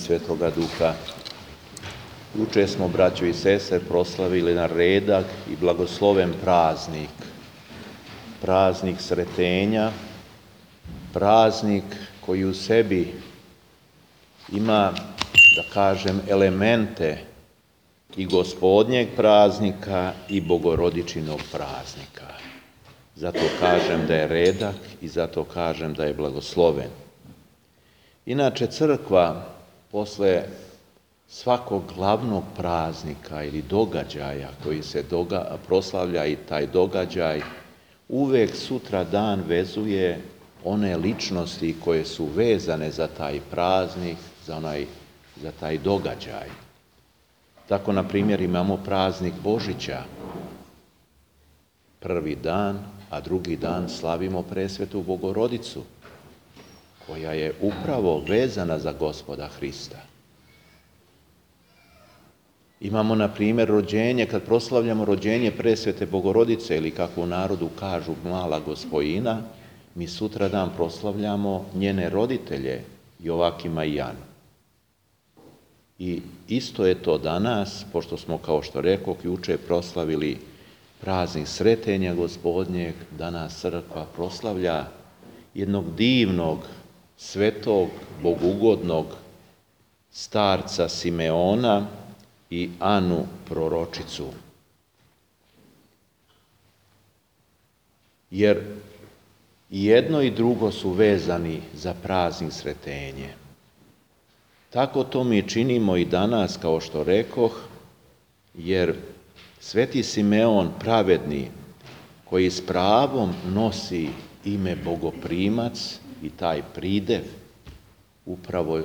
Svetoga Duha. Juče smo, braćo i sestre, proslavili na redak i blagosloven praznik Sretenja, praznik koji u sebi ima, da kažem, elemente i Gospodnjeg praznika i Bogorodičinog praznika. Zato kažem da je redak i zato kažem da je blagosloven. Inače, crkva posle svakog glavnog praznika ili događaja koji se proslavlja i taj događaj, uvek sutra dan vezuje one ličnosti koje su vezane za taj praznik, za taj događaj. Tako, na primjer, imamo praznik Božića, prvi dan, a drugi dan slavimo Presvetu Bogorodicu, koja je upravo vezana za Gospoda Hrista. Imamo, na primjer, rođenje, kad proslavljamo rođenje Presvete Bogorodice, ili kako u narodu kažu Mala Gospojina, mi sutradan proslavljamo njene roditelje, Jovakima i Janu. I isto je to danas, pošto smo, kao što rekoh, juče proslavili praznik Sretenja Gospodnjeg, danas crkva proslavlja jednog divnog, svetog, bogugodnog starca Simeona i Anu proročicu. Jer jedno i drugo su vezani za praznik Sretenje. Tako to mi činimo i danas, kao što rekoh, jer Sveti Simeon pravedni, koji s pravom nosi ime Bogoprimac i taj pridev, upravo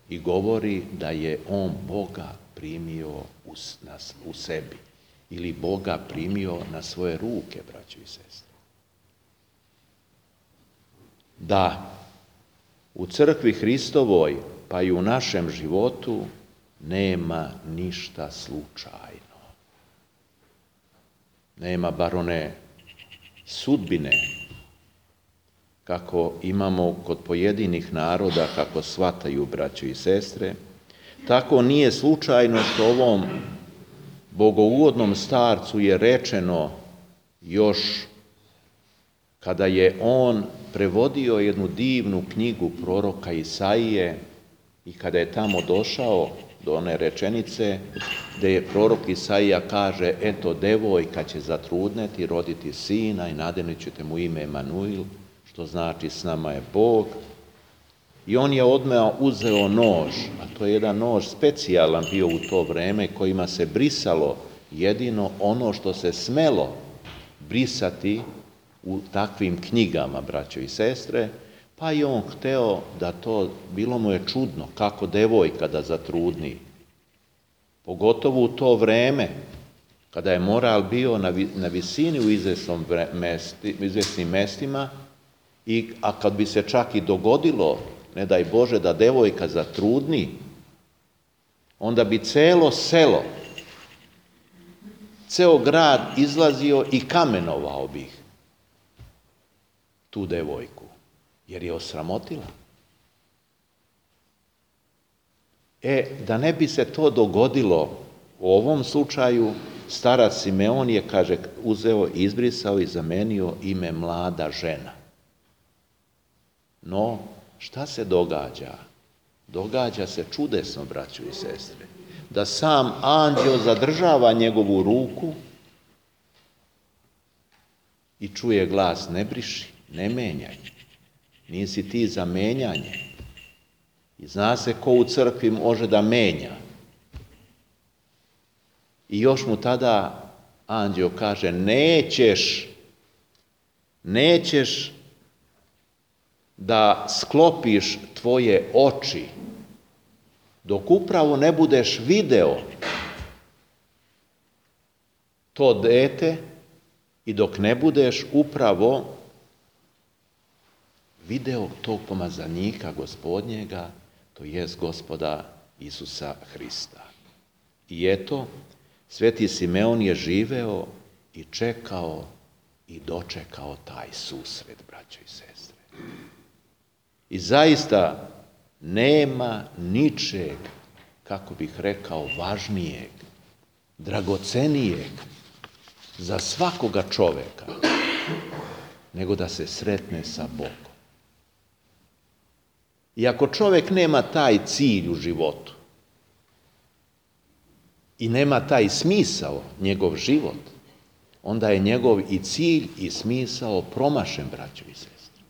i govori da je on Boga primio u sebi ili Boga primio na svoje ruke, braćo i sestre. Da, u crkvi Hristovoj, pa i u našem životu, nema ništa slučajno. Nema bar one sudbine, kako imamo kod pojedinih naroda, kako shvataju, braćo i sestre. Tako nije slučajno što ovom bogougodnom starcu je rečeno još kada je on prevodio jednu divnu knjigu proroka Isaije i kada je tamo došao do one rečenice gde je prorok Isaija kaže: eto, devojka će zatrudneti, roditi sina i nadenit ćete mu ime Emanuil, što znači s nama je Bog. I on je odmah uzeo nož, a to je jedan nož specijalan bio u to vreme, kojima se brisalo jedino ono što se smelo brisati u takvim knjigama, braćo i sestre, pa je on hteo da to, bilo mu je čudno kako devojka da zatrudni. Pogotovo u to vreme, kada je moral bio na visini u izvesnim mestima, a kad bi se čak i dogodilo, ne daj Bože, da devojka zatrudni, onda bi celo selo, ceo grad izlazio i kamenovao bi tu devojku, jer je osramotila. Da ne bi se to dogodilo u ovom slučaju, starac Simeon je, kaže, uzeo, izbrisao i zamenio ime mlada žena. No, šta se događa? Događa se čudesno, braćo i sestre, da sam anđeo zadržava njegovu ruku i čuje glas: ne briši, ne menjaj, nisi ti za menjanje. I zna se ko u crkvi može da menja. I još mu tada anđeo kaže: nećeš da sklopiš tvoje oči dok upravo ne budeš video to dete i dok ne budeš upravo video tog pomazanika Gospodnjega, to jest Gospoda Isusa Hrista. I eto, Sveti Simeon je živeo i čekao i dočekao taj susret, braćo i sestre. I zaista Nema ničeg, kako bih rekao, važnijeg, dragocenijeg za svakoga čoveka, nego da se sretne sa Bogom. I ako čovjek nema taj cilj u životu i nema taj smisao, njegov život, onda je njegov i cilj i smisao promašen, braćo i sestre.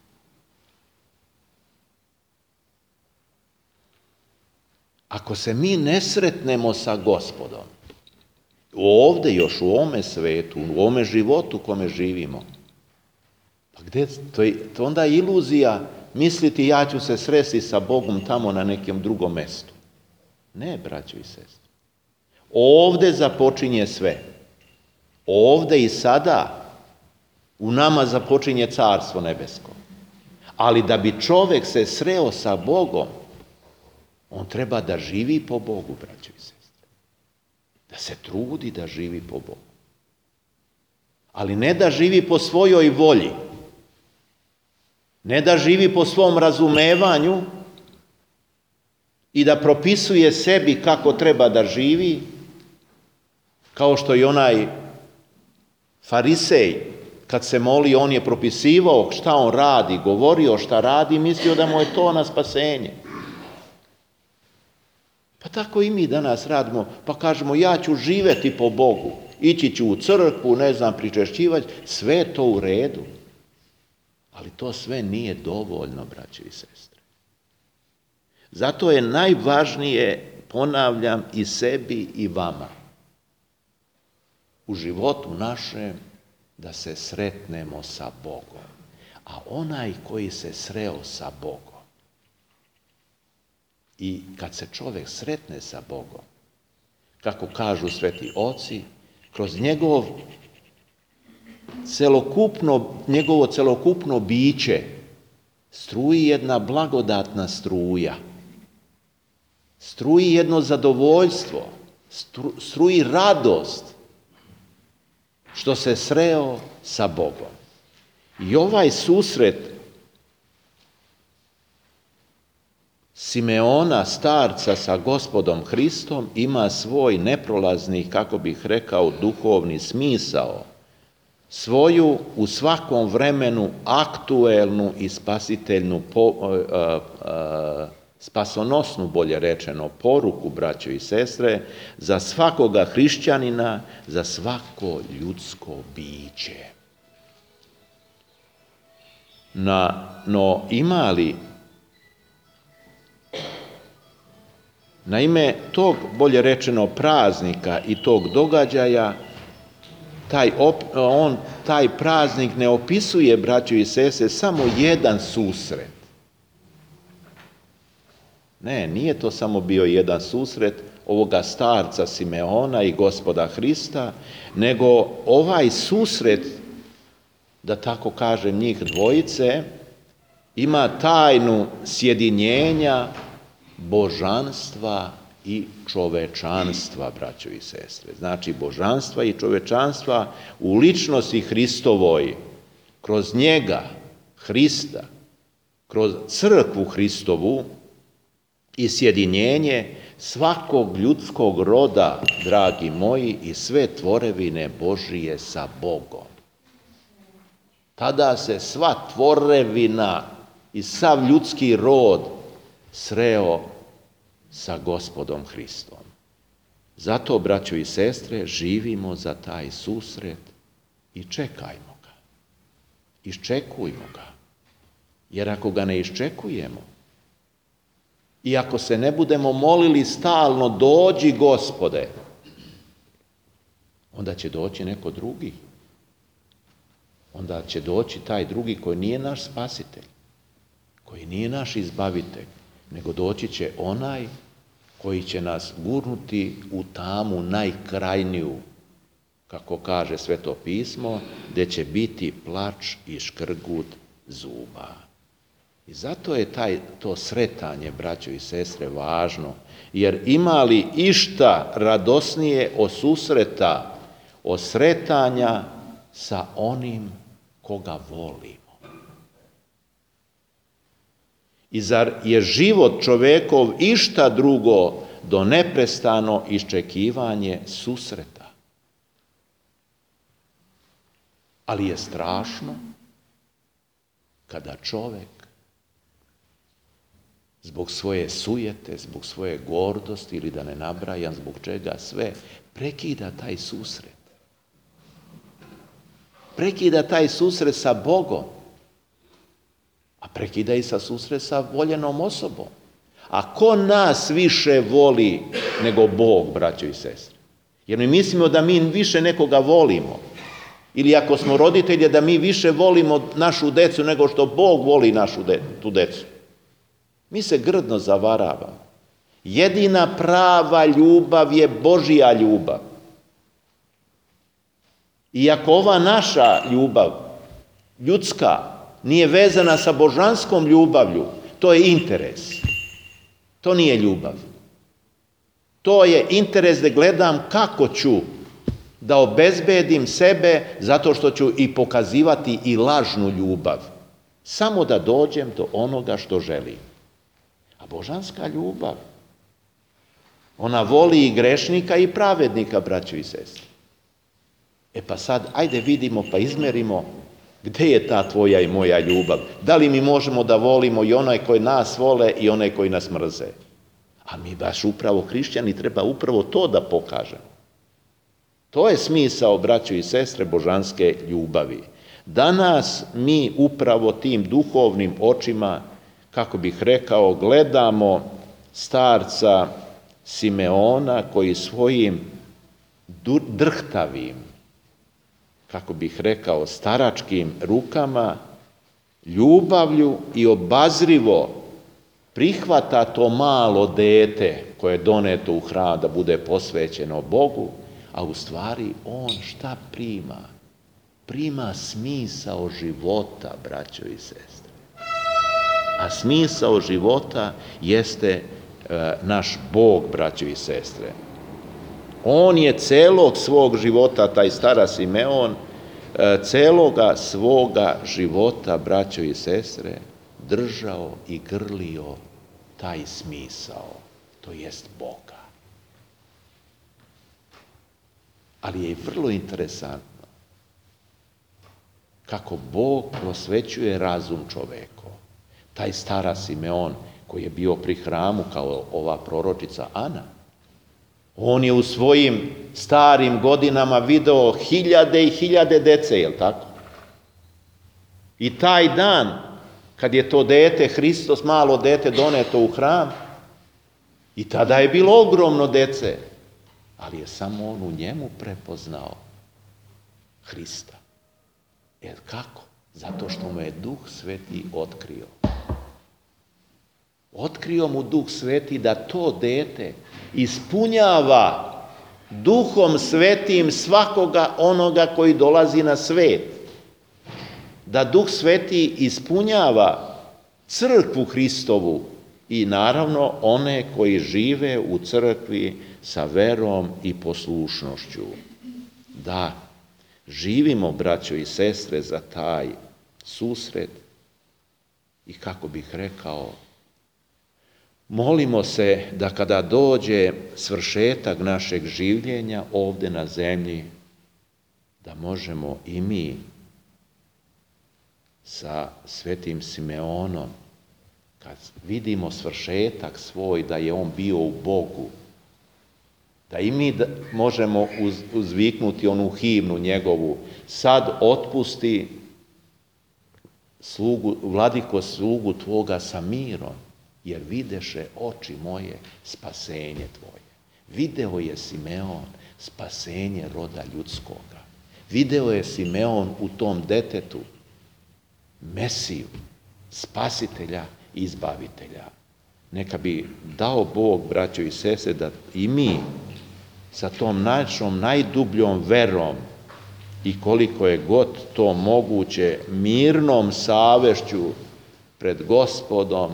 Ako se mi ne sretnemo sa Gospodom, ovdje još u ovome svetu, u ovome životu u kome živimo, pa gdje, to onda je iluzija misliti ja ću se sresti sa Bogom tamo na nekom drugom mjestu. Ne, braćo i sestre. Ovdje započinje sve. Ovdje i sada u nama započinje Carstvo nebesko. Ali da bi čovjek se sreo sa Bogom, on treba da živi po Bogu, braćo i sestre. Da se trudi da živi po Bogu. Ali ne da živi po svojoj volji. Ne da živi po svom razumevanju i da propisuje sebi kako treba da živi, kao što i onaj farisej, kad se molio, on je propisivao šta on radi, govorio šta radi, mislio da mu je to na spasenje. Pa tako i mi danas radimo, pa kažemo ja ću živjeti po Bogu, ići ću u crkvu, pričešćivati, sve je to u redu. Ali to sve nije dovoljno, braćo i sestre. Zato je najvažnije, ponavljam, i sebi i vama, u životu našem, da se sretnemo sa Bogom. A onaj koji se sreo sa Bogom, i kad se čovjek sretne sa Bogom, kako kažu sveti oci, kroz njegovo celokupno biće struji jedna blagodatna struja, struji jedno zadovoljstvo, struji radost što se sreo sa Bogom. I ovaj susret Simeona, starca sa Gospodom Hristom, ima svoj neprolazni, kako bih rekao, duhovni smisao, svoju u svakom vremenu aktuelnu i spasiteljnu, spasonosnu, bolje rečeno, poruku, braćo i sestre, za svakoga hrišćanina, za svako ljudsko biće. No ima li, naime, tog, bolje rečeno, praznika i tog događaja, taj praznik ne opisuje, braćo i sestre, samo jedan susret. Ne, nije to samo bio jedan susret ovoga starca Simeona i Gospoda Hrista, nego ovaj susret, da tako kažem, njih dvojice, ima tajnu sjedinjenja božanstva i čovečanstva, braćo i sestre. Znači, božanstva i čovečanstva u ličnosti Hristovoj, kroz njega, Hrista, kroz crkvu Hristovu i sjedinjenje svakog ljudskog roda, dragi moji, i sve tvorevine Božije sa Bogom. Tada se sva tvorevina i sav ljudski rod sreo sa Gospodom Hristom. Zato, braćo i sestre, živimo za taj susret i čekajmo ga. Iščekujmo ga. Jer ako ga ne iščekujemo i ako se ne budemo molili stalno dođi Gospode, onda će doći neko drugi. Onda će doći taj drugi koji nije naš spasitelj, koji nije naš izbavitelj, nego doći će onaj koji će nas gurnuti u tamu najkrajniju, kako kaže Sveto pismo, gdje će biti plač i škrgut zuba. I zato je to sretanje, braćo i sestre, važno, jer ima li išta radosnije od susreta, od sretanja sa onim koga volimo. I zar je život čovekov išta drugo do neprestano iščekivanje susreta? Ali je strašno kada čovek zbog svoje sujete, zbog svoje gordosti ili da ne nabrajam zbog čega sve, prekida taj susret. Prekida taj susret sa Bogom, a prekida i sa susret sa voljenom osobom. A ko nas više voli nego Bog, braćo i sestre? Jer mi mislimo da mi više nekoga volimo. Ili ako smo roditelji, da mi više volimo našu decu nego što Bog voli tu decu. Mi se grdno zavaravamo. Jedina prava ljubav je Božja ljubav. I ako ova naša ljubav, ljudska, nije vezana sa božanskom ljubavlju, to je interes. To nije ljubav. To je interes da gledam kako ću da obezbedim sebe zato što ću i pokazivati i lažnu ljubav. Samo da dođem do onoga što želim. A božanska ljubav, ona voli i grešnika i pravednika, braćo i sestre. E pa sad, ajde vidimo pa izmerimo gde je ta tvoja i moja ljubav. Da li mi možemo da volimo i onaj koji nas vole i onaj koji nas mrze? A mi baš upravo hrišćani treba upravo to da pokažemo. To je smisao, braćo i sestre, božanske ljubavi. Danas mi upravo tim duhovnim očima, kako bih rekao, gledamo starca Simeona koji svojim drhtavim, kako bih rekao, staračkim rukama, ljubavlju i obazrivo prihvata to malo dete koje je doneto u hram da bude posvećeno Bogu, a u stvari on šta prima? Prima smisao života, braćo i sestre. A smisao života jeste naš Bog, braćo i sestre. On je celog svog života, taj stara Simeon, celoga svoga života, braćo i sestre, držao i grlio taj smisao, to jest Boga. Ali je vrlo interesantno kako Bog prosvećuje razum čovekov. Taj stara Simeon koji je bio pri hramu kao ova proročica Ana, on je u svojim starim godinama video hiljade i hiljade dece, je li tako? I taj dan, kad je to dete, Hristos, malo dete, doneto u hram, i tada je bilo ogromno dece, ali je samo on u njemu prepoznao Hrista. Jer kako? Zato što mu je Duh Sveti otkrio. Otkrio mu Duh Sveti da to dete ispunjava Duhom Svetim svakoga onoga koji dolazi na svet. Da Duh Sveti ispunjava crkvu Hristovu i naravno one koji žive u crkvi sa verom i poslušnošću. Da, živimo, braćo i sestre, za taj susret i, kako bih rekao, molimo se da kada dođe svršetak našeg življenja ovde na zemlji, da možemo i mi sa svetim Simeonom, kad vidimo svršetak svoj, da je on bio u Bogu, da i mi možemo uzviknuti onu himnu njegovu: sad otpusti vladiko slugu tvoga sa mirom, jer videše oči moje spasenje tvoje. Video je Simeon spasenje roda ljudskoga. Video je Simeon u tom detetu Mesiju, spasitelja i izbavitelja. Neka bi dao Bog, braćo i sestre, da i mi sa tom našom najdubljom verom i koliko je god to moguće mirnom savešću pred Gospodom,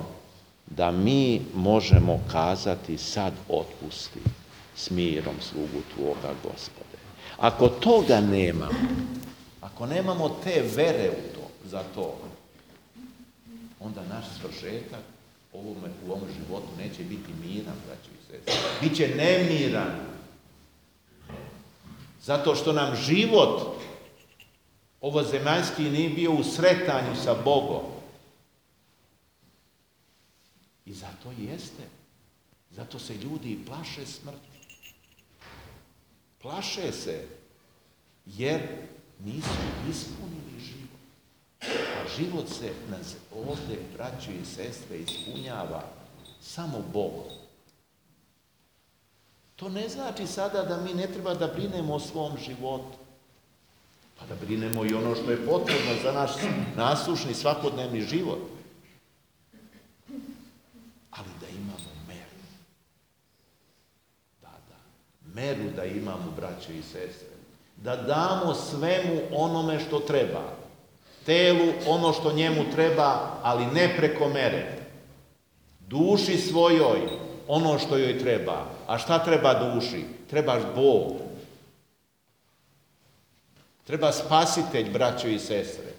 da mi možemo kazati: sad otpusti s mirom slugu tvoga, Gospode. Ako toga nemamo, ako nemamo te vere u to, za to, onda naš svršetak u ovom životu neće biti miran, braćo i sestre. Biće nemiran. Zato što nam život ovozemaljski nije bio u sretanju sa Bogom. I zato jeste. Zato se ljudi i plaše smrti. Plaše se jer nisu ispunili život. A život se ovdje, braćo i sestre, ispunjava samo Bogom. To ne znači sada da mi ne treba da brinemo o svom životu. Pa da brinemo i ono što je potrebno za naš nasušni svakodnevni život. Ali da imamo meru. Meru da imamo, braćo i sestre. Da damo svemu onome što treba. Telu ono što njemu treba, ali ne preko mere. Duši svojoj ono što joj treba. A šta treba duši? Trebaš Bog. Treba spasitelj, braćo i sestre.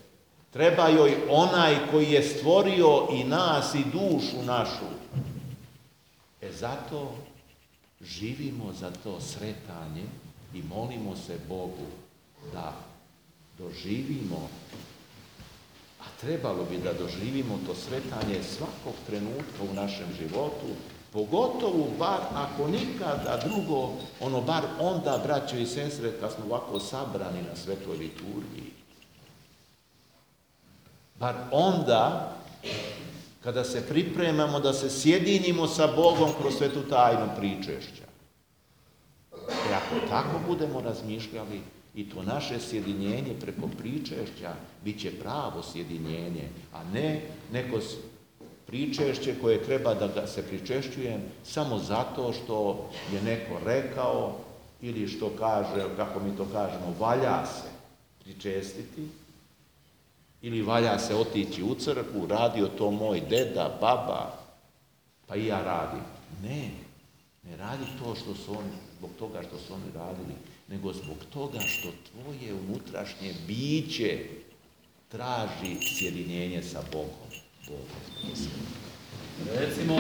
Treba joj onaj koji je stvorio i nas i dušu našu. Zato živimo za to sretanje i molimo se Bogu da doživimo, a trebalo bi da doživimo to sretanje svakog trenutka u našem životu, pogotovo bar ako nikada drugo, bar onda, braćo i sestre, kad smo ovako sabrani na svetoj liturgiji. Bar onda, kada se pripremamo da se sjedinimo sa Bogom kroz svetu tajnu pričešća. Ako tako budemo razmišljali, i to naše sjedinjenje preko pričešća bit će pravo sjedinjenje, a ne neko pričešće koje treba da ga se pričešćujem samo zato što je neko rekao ili što kaže, kako mi to kažemo, valja se pričestiti ili valja se otići u crkvu, radio to moj deda, baba, pa i ja radim. Ne radi to što su oni, zbog toga što su oni radili, nego zbog toga što tvoje unutrašnje biće traži sjedinjenje sa Bogom. Recimo